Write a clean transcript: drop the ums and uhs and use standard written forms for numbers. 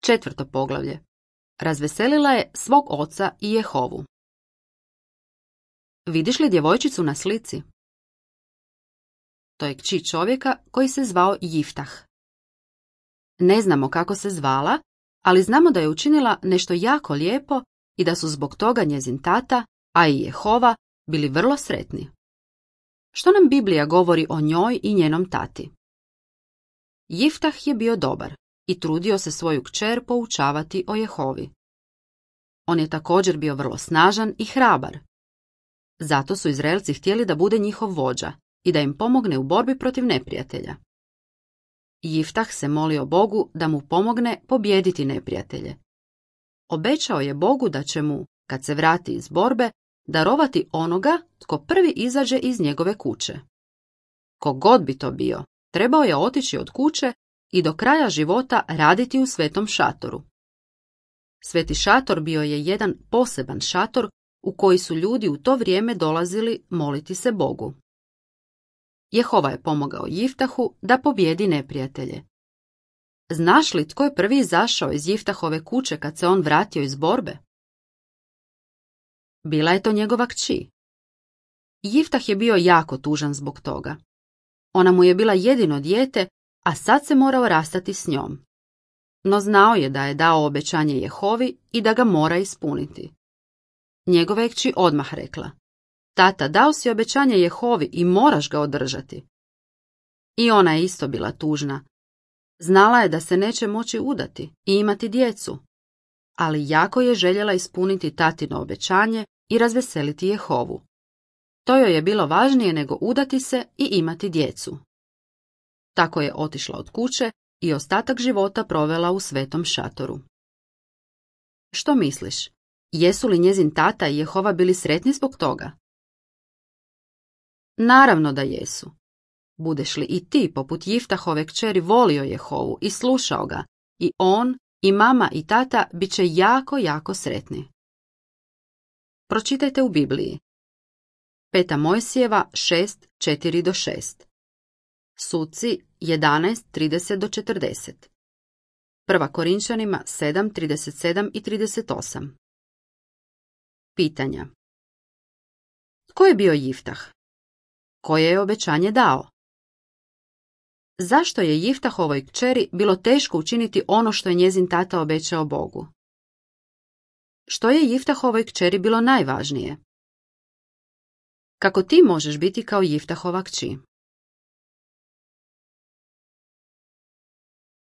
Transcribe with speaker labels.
Speaker 1: 4. poglavlje. Razveselila je svog oca i Jehovu. Vidiš li djevojčicu na slici? To je kći čovjeka koji se zvao Jiftah. Ne znamo kako se zvala, ali znamo da je učinila nešto jako lijepo i da su zbog toga njezin tata, a i Jehova, bili vrlo sretni. Što nam Biblija govori o njoj i njenom tati? Jiftah je bio dobar i trudio se svoju kćer poučavati o Jehovi. On je također bio vrlo snažan i hrabar. Zato su Izraelci htjeli da bude njihov vođa i da im pomogne u borbi protiv neprijatelja. Jiftah se molio Bogu da mu pomogne pobijediti neprijatelje. Obećao je Bogu da će mu, kad se vrati iz borbe, darovati onoga tko prvi izađe iz njegove kuće. Kogod bi to bio, trebao je otići od kuće i do kraja života raditi u svetom šatoru. Sveti šator bio je jedan poseban šator u koji su ljudi u to vrijeme dolazili moliti se Bogu. Jehova je pomogao Jiftahu da pobjedi neprijatelje. Znaš li tko je prvi izašao iz Jiftahove kuće kad se on vratio iz borbe? Bila je to njegova kći. Jiftah je bio jako tužan zbog toga. Ona mu je bila jedino dijete, a sad se morao rastati s njom. No znao je da je dao obećanje Jehovi i da ga mora ispuniti. Njegova je kći odmah rekla: Tata, dao si obećanje Jehovi i moraš ga održati. I ona je isto bila tužna. Znala je da se neće moći udati i imati djecu, ali jako je željela ispuniti tatino obećanje i razveseliti Jehovu. To joj je bilo važnije nego udati se i imati djecu. Tako je otišla od kuće i ostatak života provela u svetom šatoru. Što misliš? Jesu li njezin tata i Jehova bili sretni zbog toga? Naravno da jesu. Budeš li i ti, poput Jiftahove kćeri, volio Jehovu i slušao ga, i on, i mama i tata bit će jako, jako sretni. Pročitajte u Bibliji. 5. Mojsijeva 6:4-6. Suci 11:30-40. 1. Korinčanima 7:37 i 38. Pitanja. Tko je bio Jiftah? Koje je obećanje dao? Zašto je Jiftahovoj kćeri bilo teško učiniti ono što je njezin tata obećao Bogu? Što je Jiftahovoj kćeri bilo najvažnije? Kako ti možeš biti kao Jiftahova kći?